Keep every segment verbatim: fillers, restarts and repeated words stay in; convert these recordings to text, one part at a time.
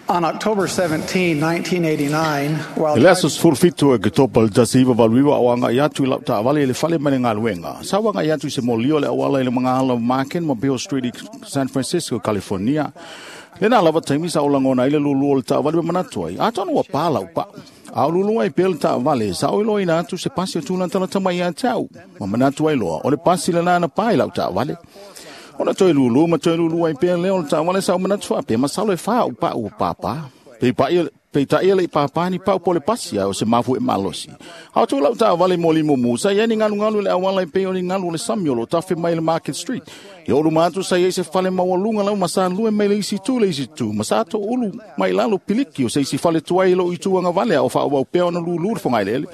On October seventeenth, nineteen eighty-nine, while I le aso sefulu fitu e Oketopa le tasi iva valu iva o agai atu i lau taavale i le fale ma le galuega. Sa o agai atu i se molio o le auala i le magaala o Market ma Beale Street i San Francisco, California. Lena lava taimi sa o lagona ai le lulu o le taavale ma manatu ai, atonu ua pā lau pa'u. A o lulu ai pea le taavale, sa o iloaina atu se pasi o tulatalata mai ia te au. Ma manatu ai loa, o le pasi lena na pā i lau taavale. Ona toe lulu ma toe lulu ai pea lea o le taavale sa o manatu faapea, masalo e fā au pa'u ua pāpā. Peipai peitai e le i pāpā ni pa'u po o le pasi a o se mafu'e malosi. A o atu lau taavale mo limumu, sa i ai ni galugalu i le auala e pei o ni galu o le sami o lo o tafe mai i le Market Street. I oo luma atu sa i ai se fale maualuga lau ma sa lue mai le isi itu i le isi itu, ma sa toulu mai lalo piliki o se isi fale tuai i lou itu agavale a o faaauau pea ona lulu le fogaeleele.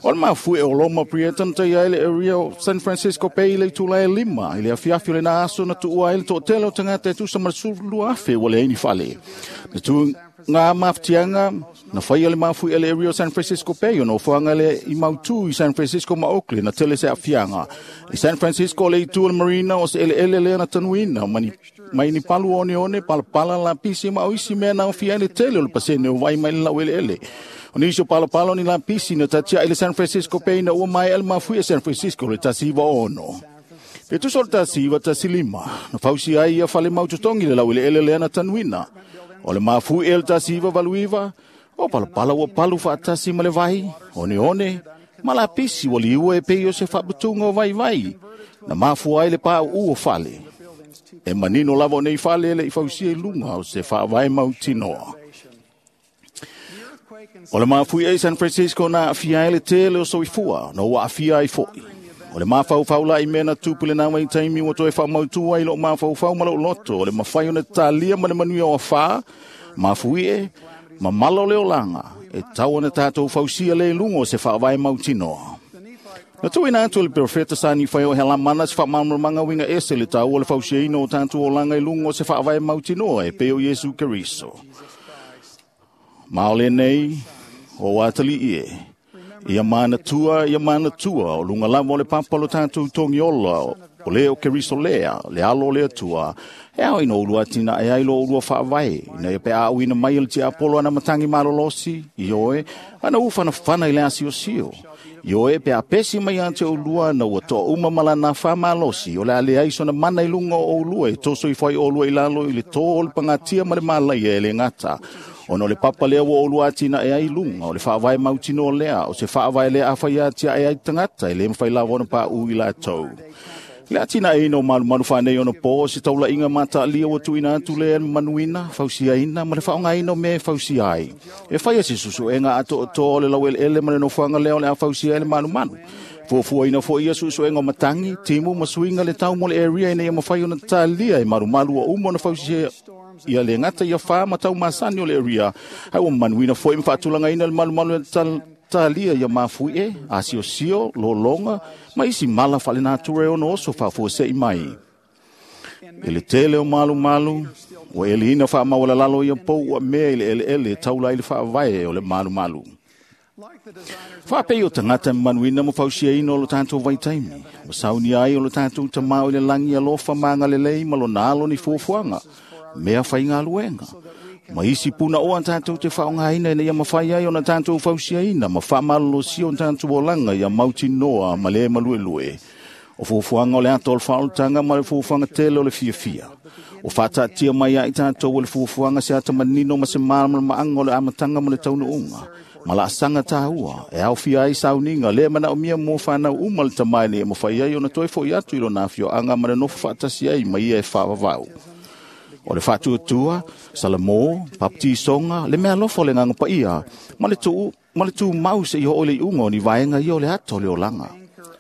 O le mafu'e o Loma Prieta na taia ai le area o San Francisco Bay i le itula e lima i le afiafi o lena aso na tuua ai le toatele o tagata e tusa ma le sefulu lua afe ua leai ni fale. Na tuga mafatiaga na faia le mafu'e le area o San Francisco Bay o nofoaga le i mautū i San Francisco ma Oakland na tele se aafiaga. I San Francisco o le itu o le Marina o se eleele lea na tanuina ma ni, mai ni palu oneone, palapala, lapisi ma o isi mea na aofia ai le tele o le pasene o vai mai le laueleele. O nisi o palapala o ni lapisi na tatia'i le San Francisco Bay na ua maea le mafuie San Francisco le tasi iva ono. Pe tusa o le tasi iva tasi lima, na fausia ai ia fale mautotogi le laueleele lea na tanuina. O le mafuie le tasi iva valu iva, o palapala ua palu faatasi ma le vai, oneone, ma lapisi ua liua e pei o se faaputuga o vaivai, na mafua ai le pauu o fale. E manino lava o nei fale e le i fausia i luga o se faavae mautinoa. O le mafuie i San Francisco na aafia ai le tele o soifua, na ua aafia ai fo'i. O le mafaufau la i mea na tupu i lena vaitaimi ua toe faamautu ai lou mafaufau ma lou loto, o le mafai ona talia ma le manuia o afā, mafuie, ma mala o le olaga, e tau ona tatou fausia le i luga o se faavae mautinoa. Na tuuina atu e le perofeta sa Nifai o Helamana se faamalamalamaga uiga ese le taua o le fausiaina o tatou olaga i luga o se faavae mautinoa e pei o Iesu Keriso. Ma o lenei, o atalii e, ia manatua, ia manatua, o luga lava o le papa o lo tatou togiola, o le o Keriso lea, le alo o le Atua, e ao ina oulua atinae ai lo oulua faavae, ina ia pe aauina mai e le tiapolo ana matagi malolosi, ioe, ana ufanafana i le asiosio. Ioe pe apesi mai ia te oulua na ua toauma ma lana faamalosi, o le a leai sona mana i luga o oulua e toso ifo ai oulua i lalo i le tō o le pagatia ma le malaia e le gata. Ona o le papa lea ua oulua atinae ai i luga, o le faavae mautinoa lea, o se faavae lea afai atiae ai tagata e le mafai lava ona paʻu i latou. Le atinaeina o malumalu faaneionapo o se taulaiga mataalia ua tuuina atu lea e manuina, fausiaina ma le faaaogaina o mea e fausia ai. E faia se suesuega atoatoa o le laueleele ma le nofoaga lea o le a fausia ai le malumalu. Fuafuaina foi ia suesuega o matagi, timu ma suiga le tau mo le area ina ia mafai ona talia e malumalu ua uma ona fausia ia le gata ia fa ma tau masani o le area. Ai ua manuina foi ma faatulagaina le malumalu e talia ia mafuie, asiosio, lologa, ma isi mala faalenatura e ono oso faafuase'i mai. I le tele o malumalu, ua eliina faamaualalalo ia pou ua mea i le eleele e taula ai le faavae o le malumalu. Faapei o tagata manuina ma fausiaina o lo tatou vaitaimi, ua saunia ai o lo tatou Tamā o i le lagi alofa ma agalelei ma lona alo ni fuafuaga, mea faigaluega. Ma isi punaoa tatou te faaaogaina ina ia mafai ai ona tatou fausiaina ma faamalolosia o tatou olaga ia mautinoa ma le maluelue. O fuafuaga o le ata o le faaolataga ma le fuafuaga tele o le fiafia. O faataatia mai ai tatou o le fuafuaga se ata manino ma se malamalamaaga o le amataga ma le taunuuga. Ma laasaga taua e aofia ai sauniga le manaomia mo fanau uma le Tamā ina ia mafai ai ona toe fo'i atu i lona afioaga ma le nofo faatasi ai ma ia e faavavau. O le faatuatua, salamo, papatisoga, le meaalofa o le Agaga Paia, ma le tuu ma le tumau seia oo i le iuga o ni vaega ia o le ata o le olaga.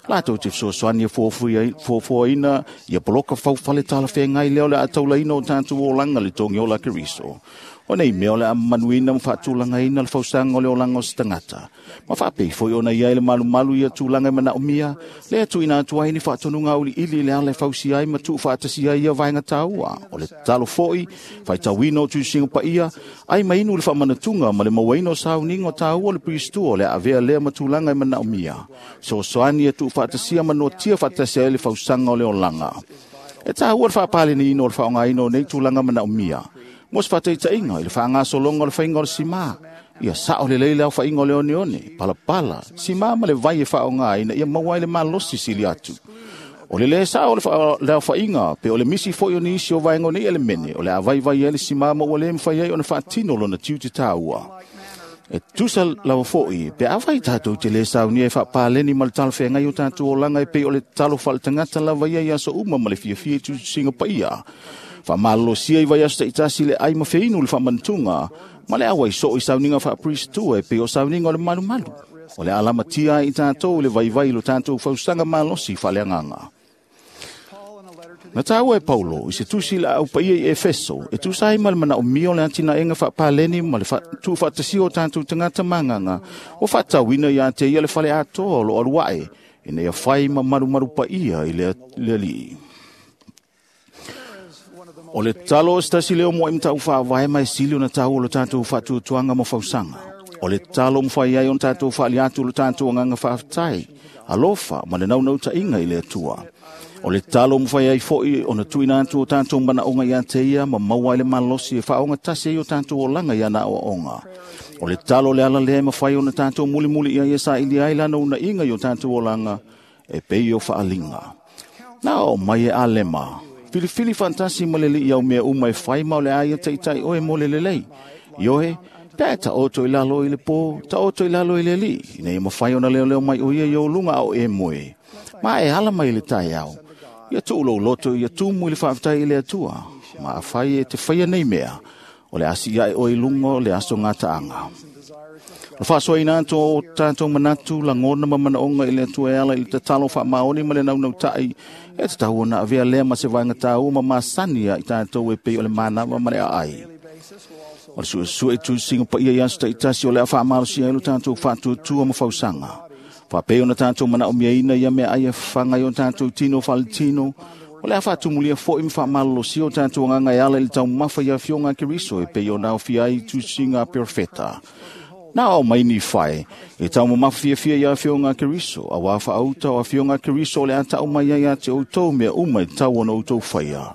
Latou te fesoasoani e fuafuaina ia poloka faufale talafeagai lea o le a taulaina o tatou olaga le togiola a Keriso. O nei mea o le a manuina ma faatulagaina le fausaga o le olaga o se tagata. Ma faapei foi ona i ai le malumalu ia tulaga e manaomia, lea tuuina atu ai ni faatonuga auiliili i le ala e fausia ai ma tuufaatasia ai ia vaega taua. O le tatalo foi, faitauina o tusiga paia, ai ma inu le faamanatuga ma le mauaina o sauniga o taua o le Piristua o le a avea lea ma tulaga e manaomia. Fesoasoani e tuufaatasia ma noatia faatasi ai le fausaga o le olaga. E taua le faapaleniina o le faaaogaina o nei tulaga manaomia. Mo se faataitaiga i le faagasologa o le faiga o le simā, ia sao lelei le aofaiga o le oneone, palapala, simā ma le vai e faaaoga ina ia maua ai le malosi sili atu. O le lē sao o le aofaiga pe o le misi foi o nisi o vaega o nei elemene o le a vaivai ai le simā ma ua lē mafai ai ona faatino lona tiute taua. E tusa lava fo'i pe afai tatou te lē saunia e faapaleni ma le talafeagai o tatou olaga e pei o le talo faaletagata lava ia i aso uma ma le fiafia i tusitusiga paia. Faamalolosia i vaiaso taitasi le ai ma feinu le faamanatuga ma le auai soo i sauniga faaperistua e pei o sauniga o le malumalu. O le alamatia ai i tatou i le vaivai i lo tatou fausaga malosi faaleagaga. Na taua e Paulo i se tusi la au paia i Efeso e tusa ai ma le manaomia o le atinaega faapaleni ma le tuufaatasia o tatou tagata magaga ua faatauina ia te ia le fale atoa o lo alu ae ina ia fai ma malumalu paia i le Alii. O le talo o se tasi lea o moai matau faavae ma e sili ona taua o lo tatou faatuatuaga ma fausaga. O le talo mafai ai ona tatou faali atu lo tatou agaga faafetai, alofa ma le naunautaiga i le Atua. O le talo mafai ai foi ona tuuina atu o tatou manaoga ia te ia ma maua ai le malosi e faaogatasi ai o tatou olaga i ana aoaoga. O le talo le ala lea e mafai ona tatou mulimuli i ai e saili ai lana unaiga i o tatou olaga e pei o faaliga. Na o mai e alema, filifili faatasi ma le Alii au mea uma e fai ma o le a ia taitai oe mo le lelei. Ioe, pe taoto i lalo i le pō, taoto i lalo i le Alii, ina ia mafai ona leoleo mai o ia i ou luga a o e moe. Ma e ala mai i le taeao, ia tuu lou loto ia tumu i le faafetai i le Atua, ma afai e te faia nei mea, o le asi ae oe i luga o le aso gataaga. O le faasoaina atu o tatou manatu, lagona ma manaoga i le Atua e ala i le tatalo faamaoni ma le naunautai, e tatau ona avea lea ma se vaega taua ma masani ia i tatou e pei o le manava ma le aai. O le suesue i tusiga paia i aso taitasi o le a faamalosia ai lo tatou faatuatua ma fausaga. Faapei ona tatou manaomiaina ia mea ai e fafaga ai o tatou tino faaletino, o le a faatumulia foi ma faamalolosia o tatou agaga e ala i le taumafa i afioga a Keriso e pei ona aofia ai i tusiga a perofeta. Na o mai ni whae, e taumamafa fiafia i afioga a Keriso, auā faauta o afioga a Keriso o le a tau mai ai ia te outou mea uma e tatau ona outou faia.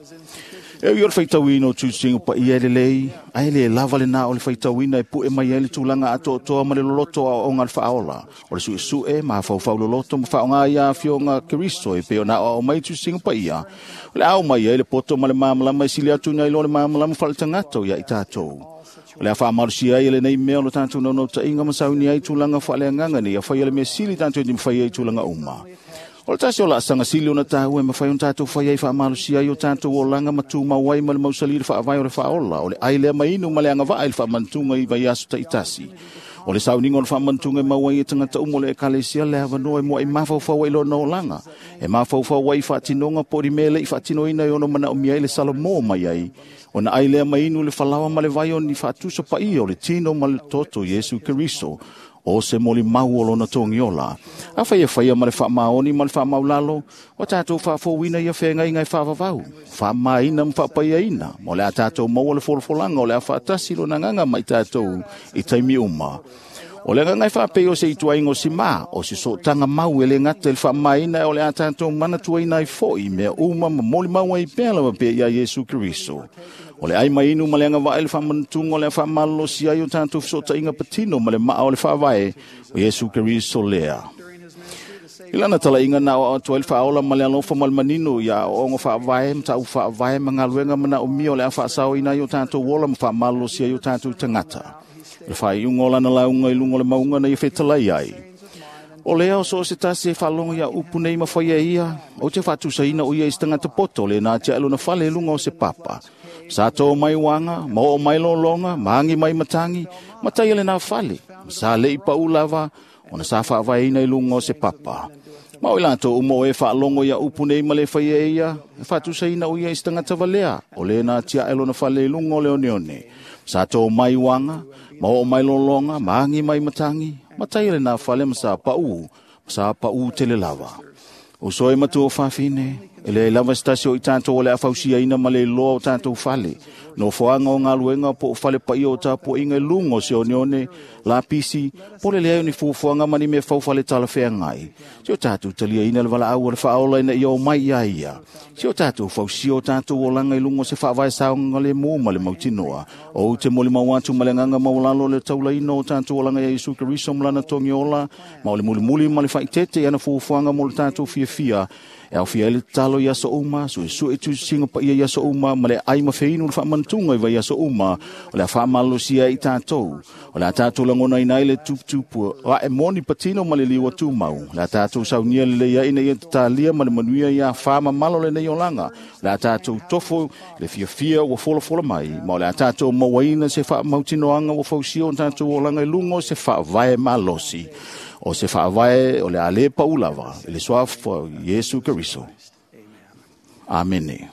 E ui o le faitauina o tusiga paia e lelei, ae le lava lena o le faitauina e pue mai ai le tulaga atoatoa ma le loloto o aoaoga a le faaola. O le suesue ma afaufau loloto ma faaaoga ia afioga a Keriso e pei ona aoao mai tusiga paia, o le a ao mai ai le poto ma le malamalama e sili atu nai lo le malamalama faaletagata o ia i tatou. O le a faamalosia ai e lenei mea o lo tatou naunautaiga ma sauni ai tulaga faaleagaga nei a faia le mea sili tatou te mafai ai tulaga uma. O le tasi o laasaga sili ona taua e mafai ona tatou fai ai faamalosia ai o tatou olaga ma tumau ai ma le mausali le faavae o le faaola, o le ai lea ma inu ma le agavaa i le faamanatuga i vaiaso taitasi. O le sauniga o le faamanatuga e maua ai e tagata uma o le ekalesia le avanoa e muai mafaufau ai lona olaga, e mafaufau ai i faatinoga po o ni mea e le i faatinoina e ono manaomia ai le Salomo mai ai, ona ai lea ma inu le falaoa ma le vai o ni faatusa paia o le tino ma le toto Iesu Keriso, o se molimau o lona togiola. Afai e faia ma le faamaoni ma le faamaulalo, o tatou faafouina ia feagaiga e faavavau, faamaina ma faapaiaina, ma o le a tatou maua le folafolaga o le a faatasi lona agaga ma i tatou i taimi uma. O le agaga e faapei o se ituaiga o simā, o se sootaga mau e le gata i le faamaina e o le a tatou manatuaina ai foi mea uma ma molimau ai pea lava pea ia Iesu Keriso. O le ai mai inu ma le agavaa i le faamanatuga o le a faamalolosia ai o tatou fesootaiga patino ma le maa o le faavae o Iesu Keriso lea. I lana talaiga na aoao atu ai le faaola ma le alofa ma le manino ia aoaoga faavae ma tau faavae ma galuega manaomia o le a faasaoina ai o tatou ola ma faamalolosia ai o tatou tagata. Le faaiuga o lana lauga i luga o le mauga na ia fetalai ai. O lea o so o se tasi e faalogo ia upu nei ma faia ia, ou te faatusaina o ia i se tagata poto le na atiae lona fale i luga o se papa. Sa tō mai uaga, ma oo mai lologa, ma agi mai matagi, ma taia lena fale, ma sa le'i pau lava, ona sa faavaeina i luga o se papa. Ma o i latou uma o e faalogo ia upu nei ma le faia e ia, e faatusaina o ia i se tagata valea, o le na atiae lona fale i luga o le oneone. Sa tō mai uaga, ma oo mai lologa, ma agi mai matagi, ma taia lena fale ma sa pau, ma sa pau tele lava. O soe matua o fafine, E leai lava se tasi o i tatou o le a fausiaina ma le iloa o tatou fale. Nofoaga o galuega po o fale paia o tapuaiga i luga o se oneone, lapisi, po o le leai o ni fuafuaga ma ni mea faufale talafeagai. Se o tatou taliaina le valaau a le Faaola ina ia omai ia ia. Se o tatou fausia o tatou olaga i luga o se faavae saogalemu ma le mautinoa. Ou te molimau atu ma le agaga maualalo le taulaina o tatou olaga ia Iesu Keriso ma lana togi ola, ma o le mulimuli ma le faaeteete i ana fuafuaga mo le tatou fiafia. E aofia ai le tatalo i aso uma, suesue tusisiga paia i aso uma, ma le ai ma feinu le faamanatuga i vaiaso uma, o le a faamalosia ai i tatou. O le a tatou lagonaina ai le tuputupu ae moni patino ma le liua tumau. O le a tatou saunia lelei ai ina ia tatalia ma le manuia ia afa mamalo lenei olaga. O le a tatou tofo i le fiafia ua folafola mai, ma o le a tatou mauaina se faamautinoaga ua fausia o tatou olaga i luga o se faavae malosi. O se faavae o le a le pau lava i le suafa o Iesu Keriso. Amene.